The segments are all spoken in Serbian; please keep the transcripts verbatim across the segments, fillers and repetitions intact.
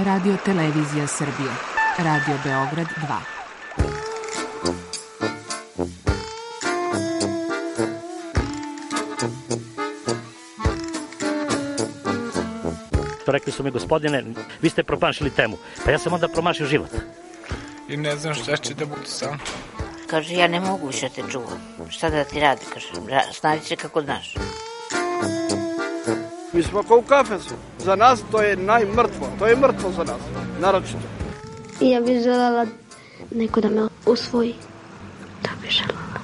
Radio Televizija Srbije. Radio Beograd dva. Rekli su mi, gospodine, vi ste promašili temu. Pa ja sam onda promašio život. I ne znam šta će da bude sam. Kaže, ja ne mogu više te čuvam. Šta da ti radi, kaže, snađi se kako znaš. Mi smo kao u kafesu. Za nas to je najmrtvo. To je mrtvo za nas, naročito. I ja bih želela neko da me usvoji. To bih želela.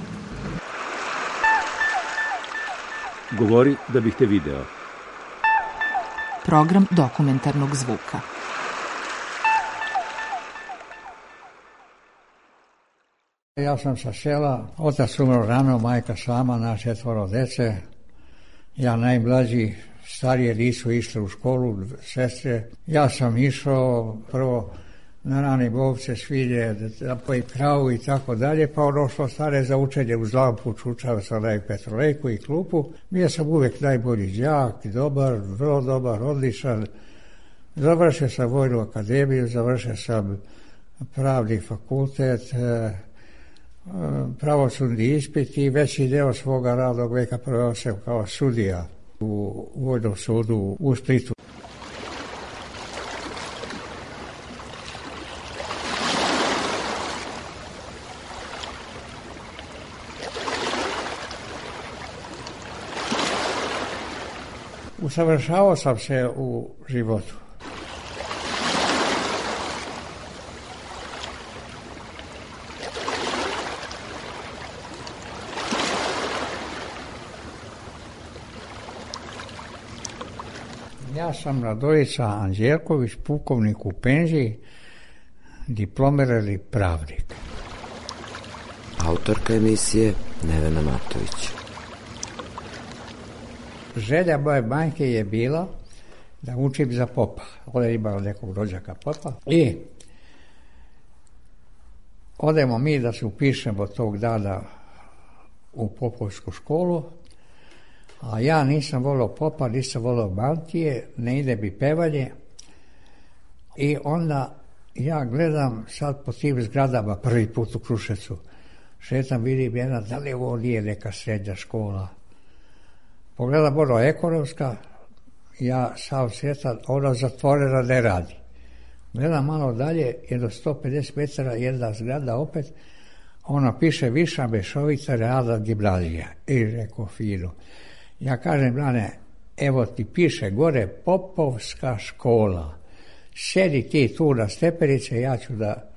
Govori da bih te video. Program dokumentarnog zvuka. Ja sam sa sela, otac umro rano, majka sama, na četvoro dece. Ja najmlađi, starije nisu išle u školu, sestre. Ja sam išao prvo na rane bovce, svilje, da poji kravu i tako dalje, pa ono što stare za učenje uz lampu, čučao sam na petrolejku i klupu. Bio sam uvijek najbolji đak, dobar, vrlo dobar, odličan. Završio sam vojnu akademiju, završio sam pravni fakultet, pravosudni ispit i veći deo svoga radnog veka proveo sam kao sudija u Vojnom sudu u Splitu. Usavršavao sam se u životu. Ja sam Radojica Anđelković, pukovnik u penziji, diplomirani pravnik. Autorka emisije Nevena Matović. Želja moje majke je bila da učim za popa. Ona je imala nekog rođaka popa. I odemo mi da se upišemo tog dana u popovsku školu, a ja nisam volio popa, nisam volio mantije, ne ide mi pevanje. I onda ja gledam sad po tim zgradama prvi put u Kruševcu. Šetam, vidim jedna, da li ovo nije neka srednja škola. Pogledam ono ekonomska, ja sam svjetan, ona zatvorena ne radi. Gledam malo dalje, jedno sto pedeset metara, jedna zgrada opet, ona piše Viša Mešovita realna gimnazija. I rekao fino. Ja kažem, Blane, evo ti piše gore Popovska škola. Sjedi ti tu na stepenice, ja ću da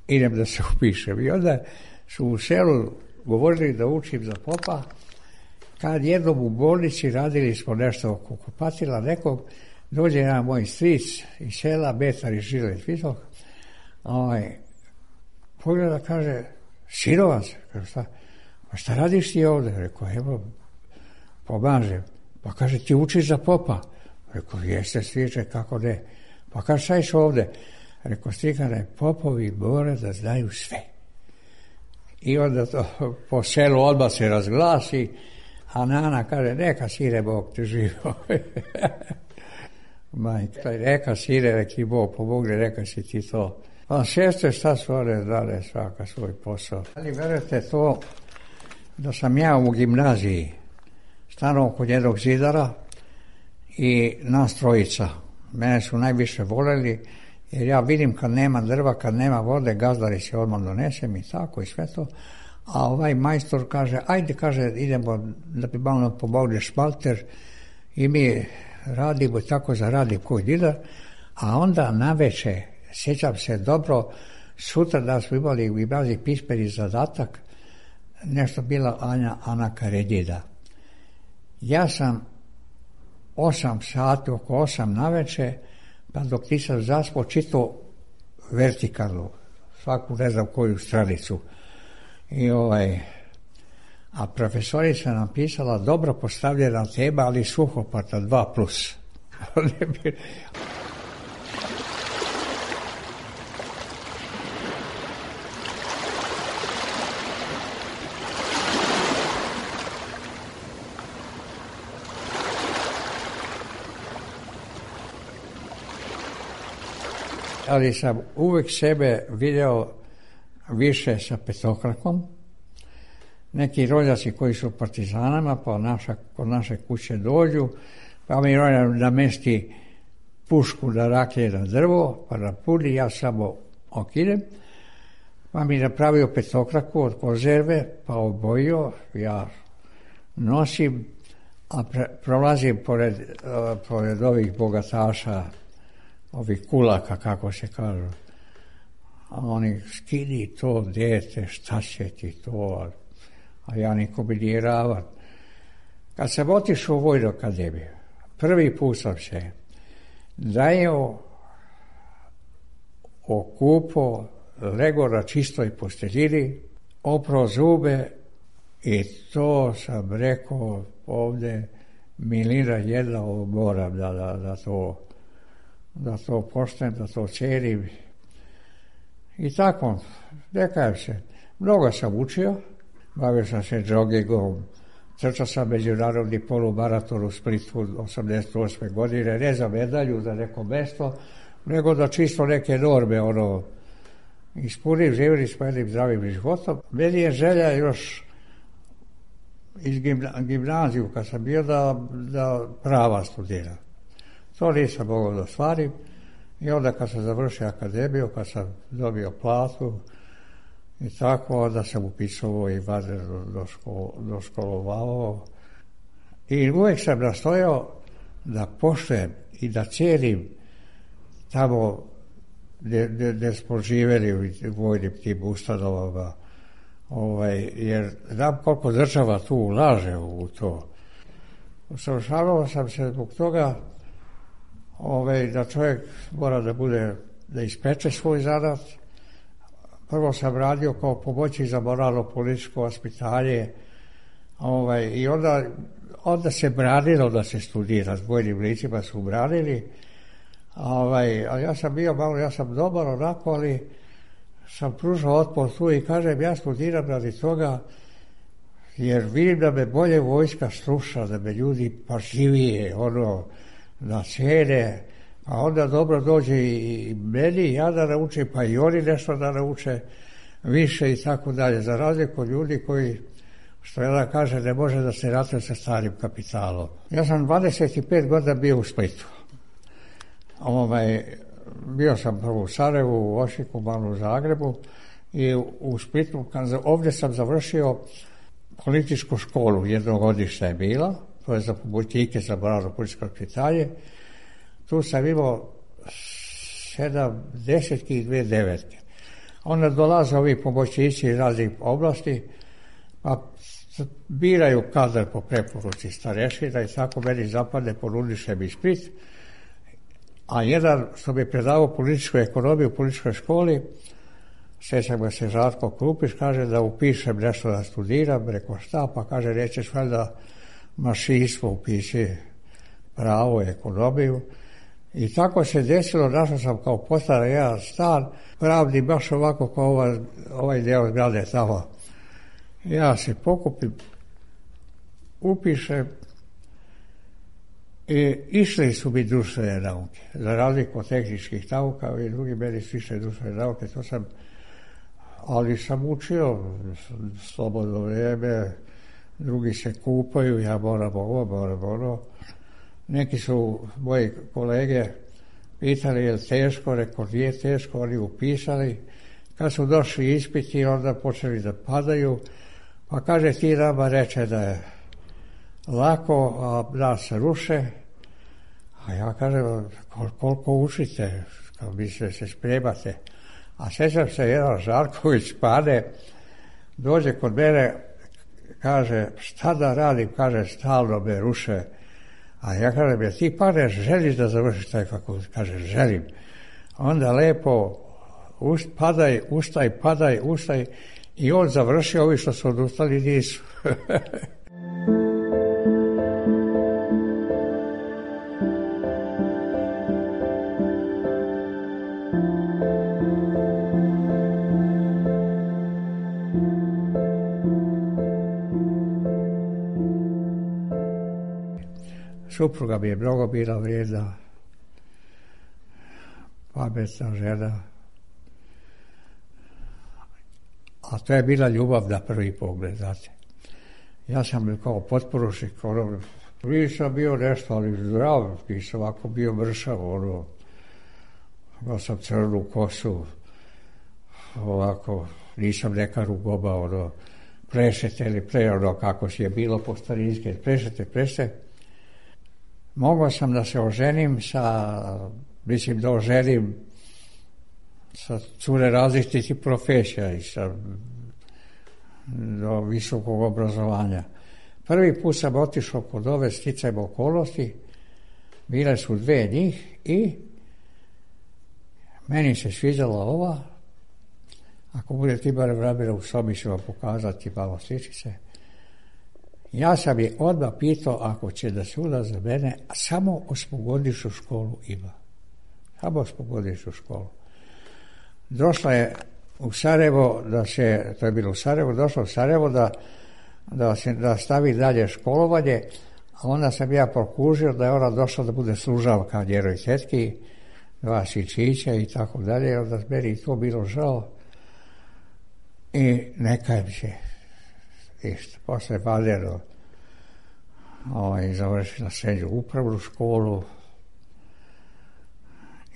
idem da se upišem. I onda su u selu govorili da učim za popa. Kad jednom u bolnici radili smo nešto oko kupatila nekog, dođe jedan moj stric iz sela, metar i žilet visok, ovaj, pogleda, kaže, sinovac, kaže, šta, pa šta radiš ti ovdje? Rekao, evo, pomažem. Pa kaže, ti učiš za popa? Rekao, jeste striče, kako ne? Pa kaže, šta iš ovdje? Rekao, strikane, popovi more da znaju sve. I onda to po selu odmah se razglasi, a Nana kaže, neka sire, Bog te živo. Majka, neka sire, neki Bog pomogne, neka si ti to. A sestre, šta su one znale, svaka svoj posao. Ali verujete to, da sam ja u gimnaziji stanuo kod jednog zidara i nas trojica. Mene su najviše voljeli, jer ja vidim kad nema drva, kad nema vode, gazdari se odmah donesem i tako i sve to. A ovaj majstor kaže, ajde, kaže, idemo da bi malo pomogli šmalter i mi radimo tako zaradi koji didar, a onda naveče, sjećam se dobro, sutra da smo imali u gimnaziji pismeni zadatak, nešto bila Anja Ana Karedjida. Ja sam osam sati, oko osam naveče, pa dok nisam zaspao, čitao vertikalno, svaku ne znam koju stranicu. I ovaj, a profesorica nam pisala dobro postavljena tema, ali suhopata dva plus. ali sam uvijek sebe video više sa petokrakom. Neki rođaci koji su partizanama, pa naša, kod naše kuće dođu, pa mi rođak namesti pušku da raklje na drvo, pa da puni, ja samo okidem, pa mi napravio petokraku od konzerve, pa obojio, ja nosim, a pre, prolazim pored, uh, pored ovih bogataša, ovih kulaka, kako se kažu. A oni, skini to, dete, šta će ti to, a ja niko mi nije ravan. Kad sam otišao u Vojnu akademiju, prvi put sam se dajeo, okupo, lego na čistoj posteljini, oprao zube i to sam rekao ovdje, milina jedna, ovo moram da, da, da to da to poštem, da to cijenim. I tako, ne kajem se. Mnogo sam učio, bavio sam se joggingom, trčao sam međunarodni polumaraton u Splitu osamdeset osme godine, ne za medalju, za neko mesto, nego da čisto neke norme, ono, ispunim, živjeli s jednim zdravim životom. Meni je želja još iz gimna, gimnaziju, kad sam bio, da, da prava studiram. To nisam mogao da ostvarim i onda kad sam završio akademiju, kad sam dobio platu i tako, onda sam upisao i vanredno do škol, doškolovao. I uvijek sam nastojao da poštujem i da cijenim tamo gdje, gdje, gdje smo živjeli u vojnim tim ustanovama, ovaj, jer znam koliko država tu ulaže u to. Usavršavao sam se zbog toga ovaj, da čovjek mora da bude, da ispeče svoj zanat. Prvo sam radio kao pomoćnik za moralno-političko vaspitanje, ovaj, i onda, onda se branilo da se studira, s bojnim licima su branili, ovaj, a ja sam bio malo, ja sam dobar onako, ali sam pružao otpor tu i kažem, ja studiram radi toga, jer vidim da me bolje vojska sluša, da me ljudi pažljivije, ono, da cijene, a onda dobro dođe i meni, ja da naučim, pa i oni nešto da nauče više i tako dalje. Za razliku od ljudi koji, što ja da kaže, ne može da se ratuje sa starim kapitalom. Ja sam dvadeset pet godina bio u Splitu. Ovaj, bio sam prvo u Sarajevu, u Osijeku, malo u Zagrebu i u Splitu, kad, ovdje sam završio političku školu, jednogodišnja je bila, to je za pomoćnike za moralno-političko vaspitanje. Tu sam imao sedam desetki i dvije devetke. Onda dolaze ovi pomoćnici iz raznih oblasti, pa biraju kadar po preporuci starešina i tako meni zapadne, ponudiše mi Split. A jedan što mi je predavao političku ekonomiju u političkoj školi, sjećam ga se Žarko Krupić, kaže da upišem nešto da studiram, rekao šta, pa kaže nećeš valjda mašinstvo upiši, pravo, ekonomiju. I tako se desilo, našao sam kao postaran jedan stan, pravdi baš ovako kao ovaj, ovaj deo zgrade tamo. Ja se pokupim, upišem i išli su mi društvene nauke. Za razliku od tehničkih nauka i drugi meni su išle društvene nauke, to sam, ali sam učio slobodno vrijeme, drugi se kupaju, ja moram ovo, moram ono. Neki su moji kolege pitali je li teško, rekao nije teško, oni upisali. Kad su došli ispiti, onda počeli da padaju, pa kaže ti nama reče da je lako, a nas se ruše. A ja kažem, kol, koliko učite, kao mislite se spremate. A sjećam se, jedan Žarković pade, dođe kod mene, kaže, šta da radim, kaže, stalno me ruše. A ja kažem, ja ti padeš, želiš da završiš taj fakultet? Kaže, želim. Onda lepo, ust, padaj, ustaj, padaj, ustaj. I on završio, ovi što su odustali nisu. Supruga mi je mnogo bila vrijedna. pametna žena. A to je bila ljubav na prvi pogled, znate. Ja sam kao potporučnik, ono, nisam bio nešto, ali zdrav, nisam ovako bio mršav, ono, imao sam crnu kosu, ovako, nisam neka rugoba, ono, prešete ili pre, ono, kako si je bilo po starinske, prešete, prešete. Mogao sam da se oženim sa, mislim da oženim sa cure različitih profesija i sa do visokog obrazovanja. Prvi put sam otišao kod ove sticajem okolnosti, bile su dve njih i meni se sviđala ova, ako budete imali vremena u sobi ću vam pokazati malo sličice. Ja sam je odmah pitao ako će da se uda za mene, a samo osmogodišnju školu ima. Samo osmogodišnju školu. Došla je u Sarajevo, da se, to je bilo u Sarajevo, došla u Sarajevo da, da, se, da stavi dalje školovanje, a onda sam ja prokužio da je ona došla da bude služavka njeroj tetki, dva sičića i tako dalje, onda meni to bilo žao i neka mi se isto. Posle Valero ovaj, završila srednju upravnu školu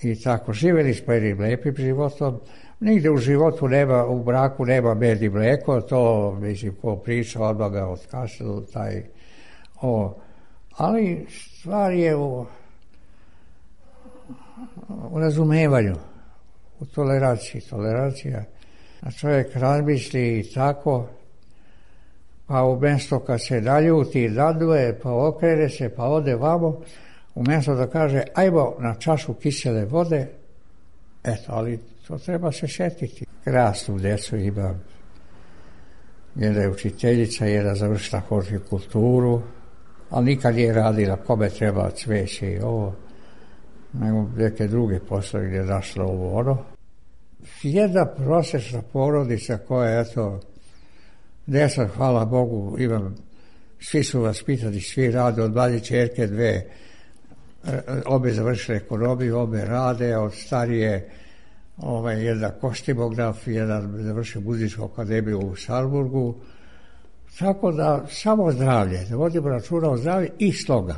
i tako živjeli smo jednim lepim životom. Nigde u životu nema, u braku nema med i mleko, to mislim ko priča odmah ga otkašljaju taj o, ali stvar je u, u razumevanju, u toleranciji, tolerancija. A čovjek razmisli i tako, pa umjesto kad se naljuti, naduje, pa okrene se, pa ode vamo, umjesto da kaže ajmo na čašu kisele vode, eto, ali to treba se šetiti. Krasnu djecu imam. Jedna je učiteljica, jedna završila hortikulturu, ali nikad nije radila kome treba cveće i ovo, nego neke druge poslove gdje je našla ovo ono. Jedna prosječna porodica koja, eto, deset, hvala Bogu, imam, svi su vaspitani, svi rade, od manje čerke dve, obe završile ekonomiju, obe rade, od starije ovaj, jedan kostimograf, jedan završio muzičku akademiju u Salzburgu, tako da samo zdravlje, da vodimo računa o zdravlju i sloga,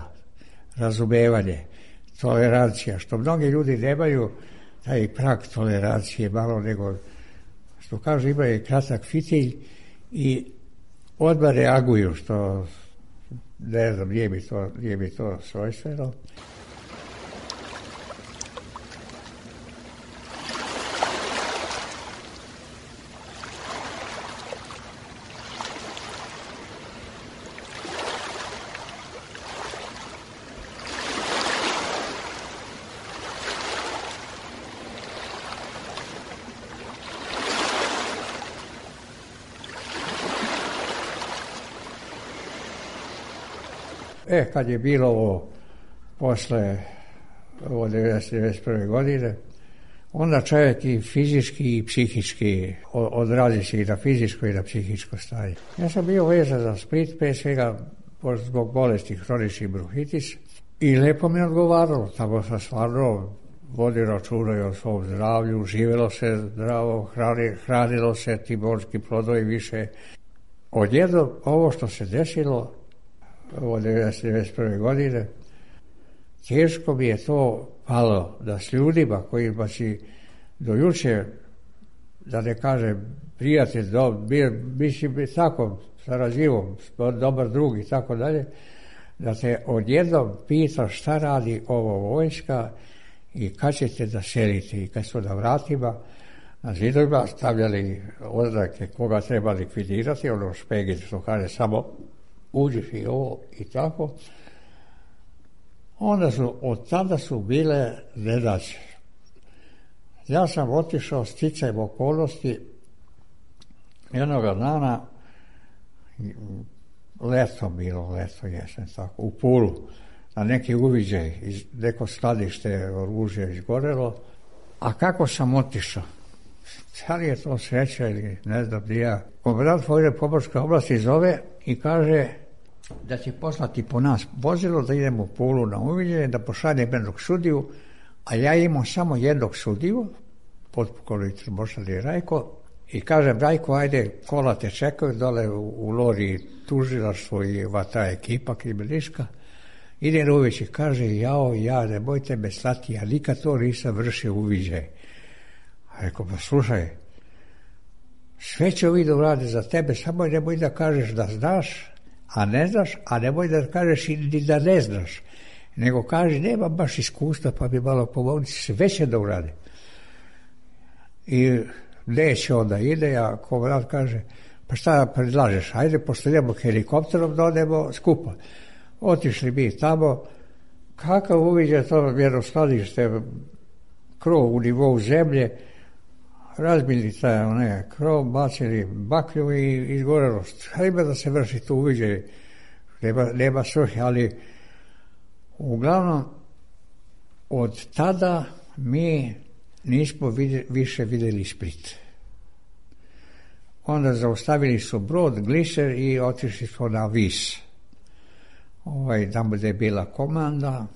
razumevanje, tolerancija, što mnogi ljudi nemaju, taj prag tolerancije malo nego, što kažu, imaju kratak fitilj i odmah reaguju, što ne znam, nije mi to, nije mi to svojstveno. E, kad je bilo ovo posle ovo devedeset devedeset prve godine, onda čovjek i fizički i psihički odrazi se i na fizičko i na psihičko stanje. Ja sam bio vezan za Split, pre svega zbog bolesti hronični bronhitis i lepo mi je odgovaralo. Tamo sam stvarno vodio računa o svom zdravlju, živjelo se zdravo, hrani, hranilo se ti morski plodovi više. Odjednom ovo što se desilo ovo devedeset devedeset prve godine, teško mi je to palo da s ljudima kojima si do juče, da ne kažem prijatelj, do, bi, mislim tako, sarađivom, dobar drug i tako dalje, da te odjednom pita šta radi ovo vojska i kad ćete da selite. I kad su na vratima, na zidovima stavljali oznake koga treba likvidirati, ono špegin što kaže samo uđeš i ovo i tako. Onda su, od tada su bile nedaće. Ja sam otišao sticajem okolnosti jednoga dana, leto bilo, leto jesen, tako, u Pulu, na neki uviđaj, neko skladište oružja izgorelo. A kako sam otišao? Da li je to sreća ili ne znam gdje ja? Komandant Vojne pomorske oblasti zove i kaže da će poslati po nas vozilo, da idemo u Pulu na uviđaj, da pošalje jednog sudiju, A ja imam samo jednog sudiju, potpukovnik Bošali Rajko, i kažem, Rajko, ajde, kola te čekaju dole u, u Lori tužilaštvo i ova ta ekipa kriminalistička. Ide uveć i kaže, jao, ja, ne bojte me slati, ja nikad to nisam vršio uviđaj. A rekao, pa slušaj, sve će ovi da urade za tebe, samo nemoj da kažeš da znaš, a ne znaš, a nemoj da kažeš i da ne znaš. Nego kaže, nema baš iskustva, pa bi malo pomogli, sve će da urade. I neće onda ide, a komandant kaže, pa šta predlažeš, ajde, pošto idemo helikopterom da odemo skupa. Otišli mi tamo, kakav uviđaj to jedno skladište, krov u nivou zemlje, razbili taj one, krov, bacili baklju i izgorelo. Hajde da se vrši to uviđaj, nema, nema svrhe, ali uglavnom od tada mi nismo vidjeli, više vidjeli Split. Onda zaustavili su brod, gliser i otišli smo na Vis. Ovaj, tamo gdje je bila komanda.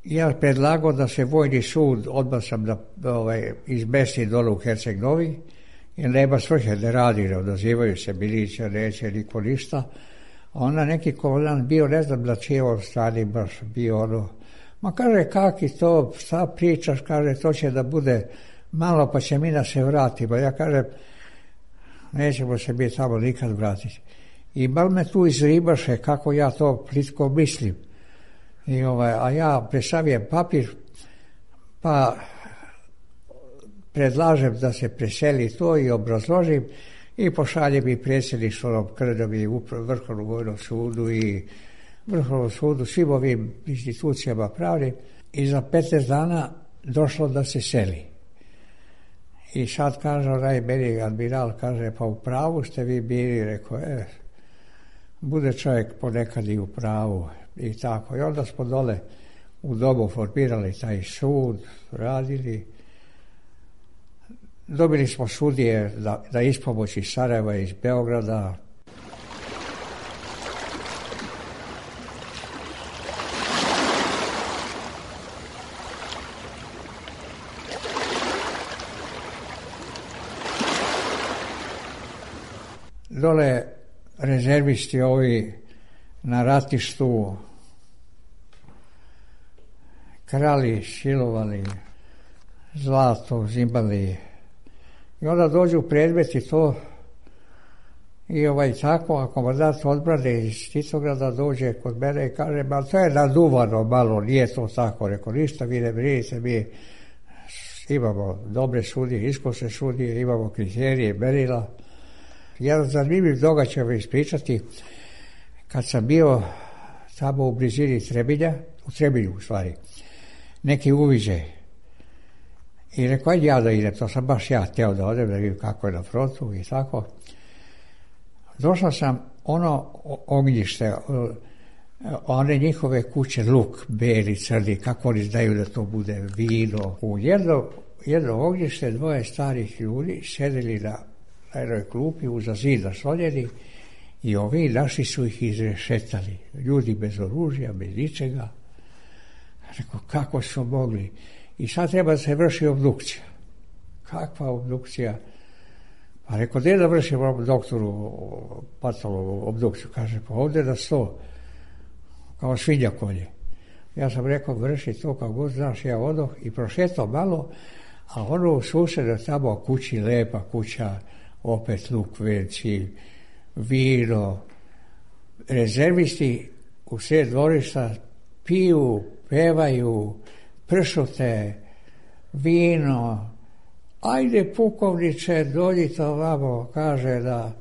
Ja predlagao da se vojni sud, odmah sam da ovaj, izmesti dole u Herceg Novi, jer nema svrhe da radi, ne odazivaju se milicija, neće niko ništa. A onda neki komandant bio, ne znam na čijoj strani baš bio ono, ma kaže, kaki to, šta pričaš, kaže, to će da bude malo, pa će mi da se vratimo. Ja kažem, nećemo se mi tamo nikad vratiti. I bal me tu izribaše kako ja to plitko mislim. I ovaj, a ja presavijem papir, pa predlažem da se preseli to i obrazložim i pošaljem i predsjedništvom Krdom i Vrhovnom vojnom sudu i Vrhovnom sudu, svim ovim institucijama pravnim. I za petnaest dana došlo da se seli. I sad kaže onaj meni admiral, kaže, pa u pravu ste vi bili, rekao, e, bude čovjek ponekad i u pravu i tako. I onda smo dole u domu formirali taj sud, radili. Dobili smo sudije da, da ispomoć iz Sarajeva, iz Beograda. Dole rezervisti ovi na ratištu krali, silovali, zlato, zimbali. I onda dođu predmeti to i ovaj tako, a komandant odbrane iz Titograda dođe kod mene i kaže, ma to je naduvano malo, nije to tako. Rekao, ništa, vi ne brinite, mi imamo dobre sudije, iskusne sudije, imamo kriterije, merila. Jedan zanimljiv događaj ću ispričati, kad sam bio tamo u blizini Trebinja, u Trebinju u stvari, neki uviđaj. I rekao, ajde ja da idem, to sam baš ja teo da odem, da vidim kako je na frontu i tako. Došao sam ono ognjište, one njihove kuće, luk, beli, crni, kako oni znaju da to bude vino. U jedno, jedno ognjište dvoje starih ljudi sedeli na na jednoj klupi uza zida slonjeni i ovi naši su ih izrešetali. Ljudi bez oružja, bez ničega. Rekao, kako su mogli? I sad treba da se vrši obdukcija. Kakva obdukcija? Pa rekao, gdje da vršimo doktoru patologu obdukciju? Kaže, pa ovdje na sto, kao svinja kolje. Ja sam rekao, vrši to kao god znaš, ja odoh i prošetao malo, a ono u susredu tamo kući, lepa kuća, opet luk veći, vino, rezervisti u sred dvorišta piju, pevaju, pršute, vino. Ajde, pukovniče, dođite ovamo, kaže da,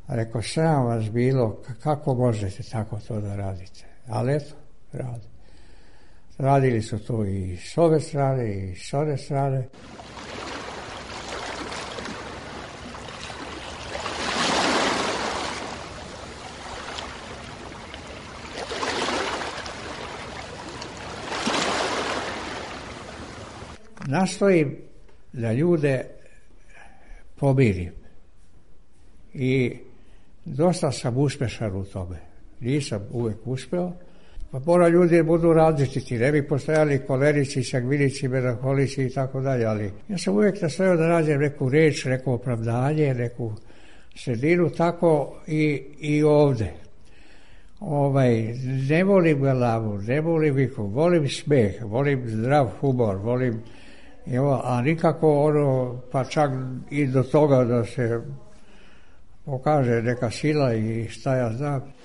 rekao, sram vas bilo, kako možete tako to da radite? Ali eto, radi. Radili su to i s ove strane i s one strane. Nastojim da ljude pomirim i dosta sam uspješan u tome. Nisam uvijek uspeo, Pa mora ljudi budu različiti, ne bi postojali kolerici, sangvinici, melanholici i tako dalje, ali ja sam uvijek nastojao da nađem neku reč, neko opravdanje, neku sredinu, tako i, i ovde. Ovaj, ne volim galamu, ne volim viku, volim smeh, volim zdrav humor, volim, evo, a nikako ono, pa čak i do toga da se pokaže neka sila i šta ja znam.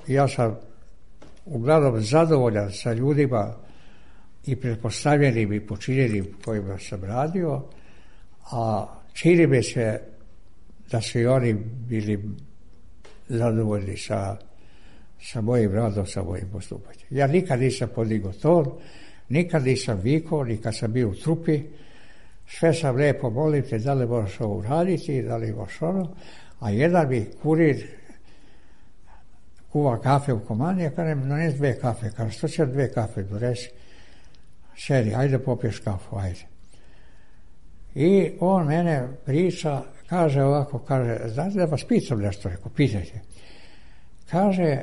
Ja sam uglavnom zadovoljan sa ljudima i pretpostavljenim i počinjenim kojima sam radio, a čini mi se da su i oni bili zadovoljni sa, sa mojim radom, sa mojim postupanjem. Ja nikad nisam podigao ton, nikad nisam vikao, ni kad sam bio u trupi, sve sam lijepo, molim te, da li možeš ovo uraditi, da li možeš ono, a jedan mi kurir kuva kafe u komani, ja kažem, dones dve kafe. Kažem, što će dve kafe, donesi. Sedi, ajde popiješ kafu, ajde. I on mene priča, kaže ovako, kaže, znate da vas pitam nešto, rekao, pitajte. Kaže,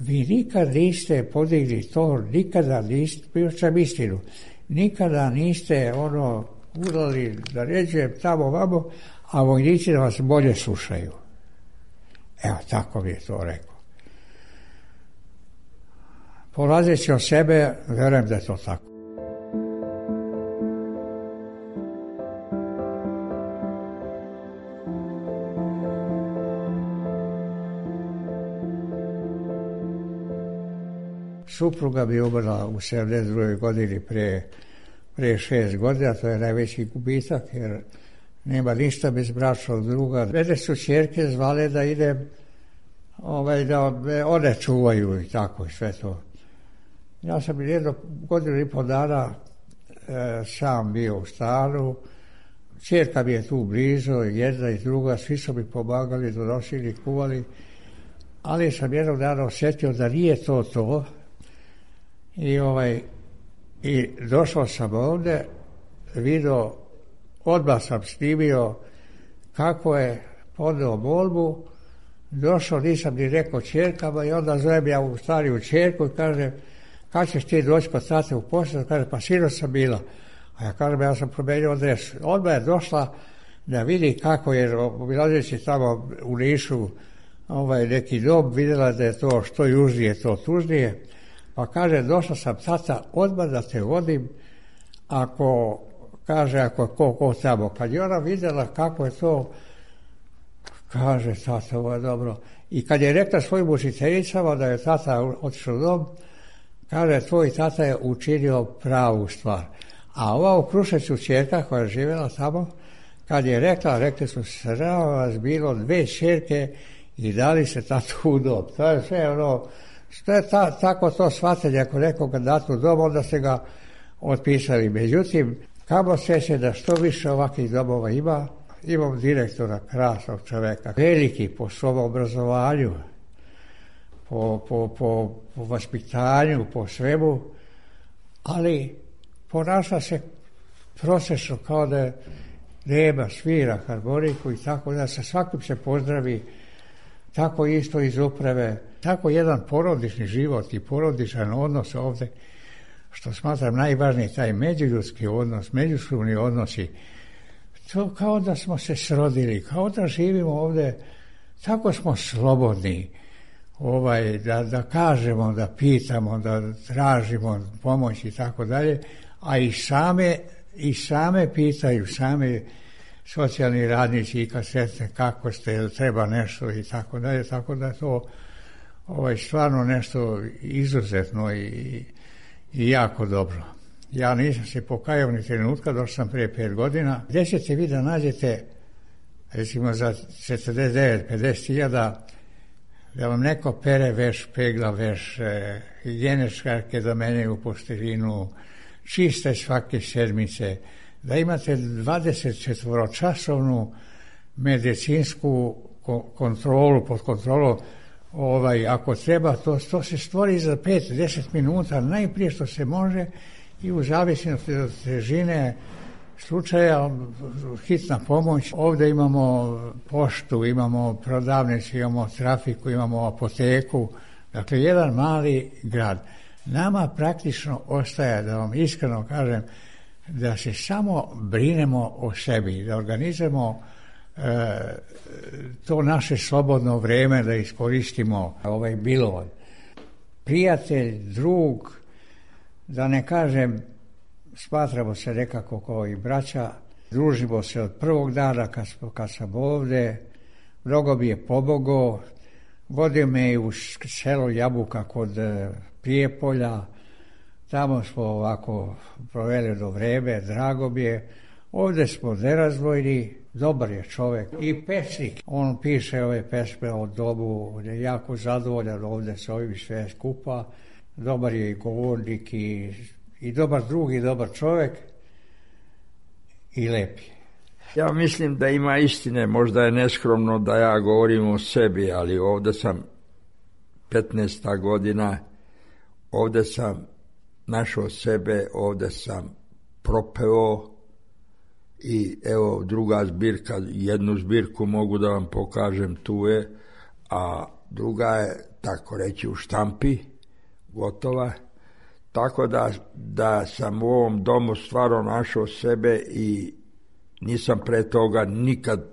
vi nikad niste podigli to, nikada niste, pričam istinu, nikada niste ono, udali da ređujem tamo vamo, a vojnici da vas bolje slušaju. Evo, tako mi je to rekao. Polazeći od sebe, verujem da je to tako. Supruga bi umrla u sedamdeset drugoj godini prije, prije šest godina, to je najveći gubitak, jer nema ništa bez bračnog druga. Mene su ćerke zvale da idem, ovaj, da one čuvaju i tako i sve to. Ja sam jedno godinu i pol dana e, sam bio u stanu, ćerka mi je tu blizu, jedna i druga, svi su mi pomagali, donosili, kuvali, ali sam jednog dana osjetio da nije to to. I, ovaj, i došao sam ovde, vidio, odmah sam snimio kako je podneo molbu, došao, nisam ni rekao ćerkama i onda zovem ja u stariju ćerku i kaže, kad ćeš ti doći kod tate u posjedu? Kaže, pa sinoć sam bila. A ja kažem, ja sam promenio adresu. Odmah je došla da vidi kako je, obilazeći tamo u Nišu ovaj, neki dom, vidjela da je to što južnije, to tužnije. Pa kaže, došla sam tata, odmah da te vodim, ako, kaže, ako ko, ko tamo. Kad je ona vidjela kako je to, kaže, tata, ovo je dobro. I kad je rekla svojim učiteljicama da je tata otišao u dom, kaže, tvoj tata je učinio pravu stvar. A ova u Kruševcu ćerka koja je živjela tamo, kad je rekla, rekli su, srao vas bilo dve ćerke i dali se tatu u dom. To je sve ono, što je ta, tako to shvatili, ako nekoga dati u dom, onda se ga otpisali. Međutim, kamo sreće da što više ovakvih domova ima, imam direktora, krasnog čoveka, veliki po svom obrazovanju, po, po, po, po vaspitanju, po svemu, ali ponaša se prosečno kao da nema, svira harmoniku i tako da sa svakim se pozdravi, tako isto iz uprave, tako jedan porodični život i porodičan odnos ovde, što smatram najvažniji, taj međuljudski odnos, međusobni odnosi, to kao da smo se srodili, kao da živimo ovde, tako smo slobodni, ovaj, da, da kažemo, da pitamo, da tražimo pomoć i tako dalje, a i same, i same pitaju, same socijalni radnici i kad sretne kako ste, jel treba nešto i tako dalje, tako da to ovaj, stvarno nešto izuzetno i, i jako dobro. Ja nisam se pokajao ni trenutka, došao sam prije pet godina. Gdje ćete vi da nađete, recimo za četrdeset devet pedeset hiljada, da vam neko pere veš, pegla veš, e, higijene škarke da menjaju posteljinu, čiste svake sedmice, da imate dvadeset četvoročasovnu medicinsku kontrolu, pod kontrolu, ovaj, ako treba, to, to se stvori za pet do deset minuta, najprije što se može i u zavisnosti od težine slučaja hitna pomoć. Ovdje imamo poštu, imamo prodavnicu, imamo trafiku, imamo apoteku, dakle jedan mali grad. Nama praktično ostaje, da vam iskreno kažem, da se samo brinemo o sebi, da organizujemo e, to naše slobodno vrijeme, da iskoristimo ovaj bilov. Prijatelj, drug, da ne kažem, smatramo se nekako kao i braća, družimo se od prvog dana kad, kad sam ovdje, mnogo mi je pomogao, vodio me i u selo Jabuka kod Prijepolja, tamo smo ovako proveli do vreme, drago mi je. Ovdje smo nerazvojni, dobar je čovjek i pesnik. On piše ove pesme o domu, on je jako zadovoljan ovdje s ovim sve skupa. Dobar je i govornik i, i dobar drug i dobar čovjek i lep je. Ja mislim da ima istine, možda je neskromno da ja govorim o sebi, ali ovdje sam petnaesta godina, ovdje sam našao sebe, ovdje sam propeo i evo druga zbirka, jednu zbirku mogu da vam pokažem, tu je, a druga je, tako reći, u štampi, gotova, tako da, da sam u ovom domu stvarno našao sebe i nisam pre toga nikad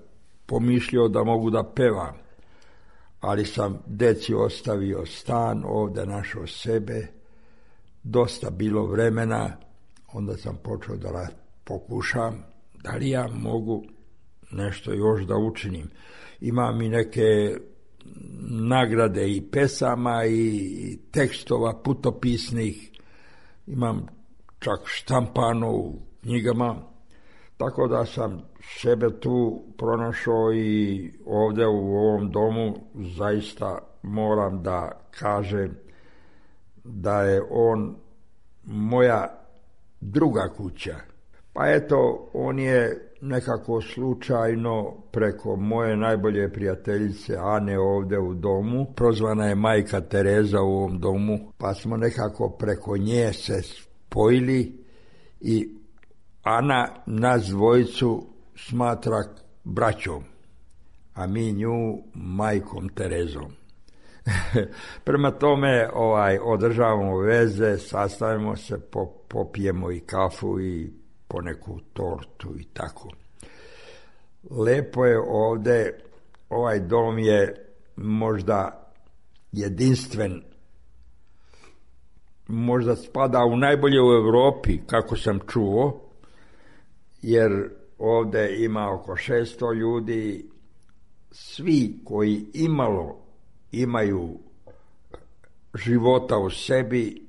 pomišljao da mogu da pevam, ali sam deci ostavio stan, ovdje našao sebe, dosta bilo vremena, onda sam počeo da pokušam da li ja mogu nešto još da učinim. Imam i neke nagrade i pesama i tekstova putopisnih, imam čak štampano u knjigama, tako da sam sebe tu pronašao i ovdje u ovom domu zaista moram da kažem da je on moja druga kuća. Pa eto, on je nekako slučajno preko moje najbolje prijateljice Ane ovdje u domu, prozvana je majka Tereza u ovom domu, pa smo nekako preko nje se spojili i Ana nas dvojicu smatra braćom, a mi nju majkom Terezom. Prema tome ovaj, održavamo veze, sastavimo se, popijemo i kafu i poneku tortu i tako. Lepo je ovdje, ovaj dom je možda jedinstven, možda spada u najbolje u Europi, kako sam čuo, jer ovdje ima oko šesto ljudi, svi koji imalo imaju života u sebi,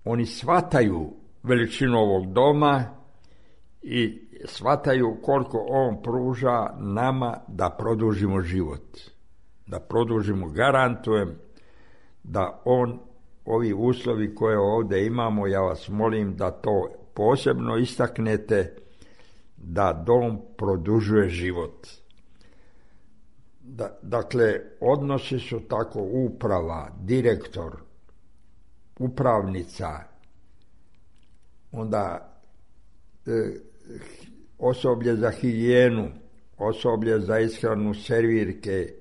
oni shvataju veličinu ovog doma i shvataju koliko on pruža nama da produžimo život. Da produžimo, garantujem da on, ovi uslovi koje ovdje imamo, ja vas molim da to posebno istaknete, da dom produžuje život. Da, dakle, odnosi su tako uprava, direktor, upravnica, onda e, osoblje za higijenu, osoblje za ishranu, servirke,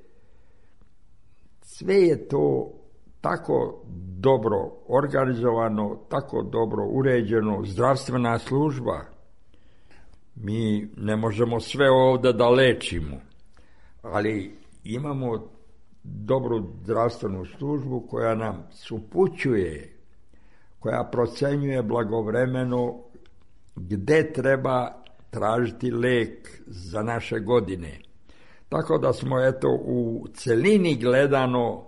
sve je to tako dobro organizovano, tako dobro uređeno, zdravstvena služba. Mi ne možemo sve ovdje da lečimo, ali imamo dobru zdravstvenu službu koja nam upućuje, koja procenjuje blagovremeno gdje treba tražiti lek za naše godine. Tako da smo eto u celini gledano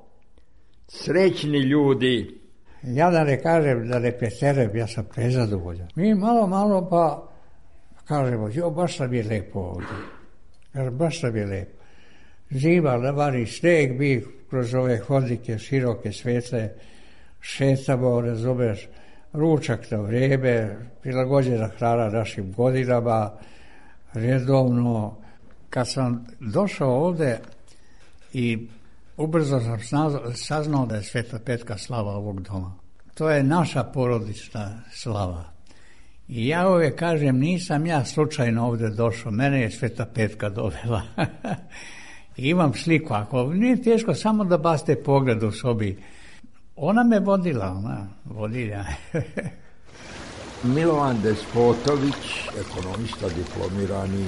srećni ljudi. Ja da ne kažem, da ne preterujem, ja sam prezadovoljan. Mi malo, malo pa kažemo, jo, baš nam je lepo ovdje. Baš nam je lepo. Zima, navani sneg, mi kroz ove hodnike široke, svetle, šetamo, razumeš, ručak na vrijeme, prilagođena hrana našim godinama, redovno, kad sam došao ovde i ubrzo sam saznao da je Sveta Petka slava ovog doma. To je naša porodična slava. I ja uvijek kažem, nisam ja slučajno ovde došao, mene je Sveta Petka dovela. I imam sliku, ako nije teško, samo da baste pogled u sobi. Ona me vodila, ona, vodilja. Milovan Despotović, ekonomista diplomirani.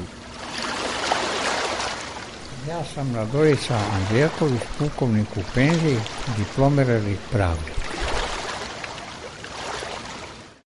Ja sam Radorica Andrijaković, pukovnik u penziji, diplomirani pravnik.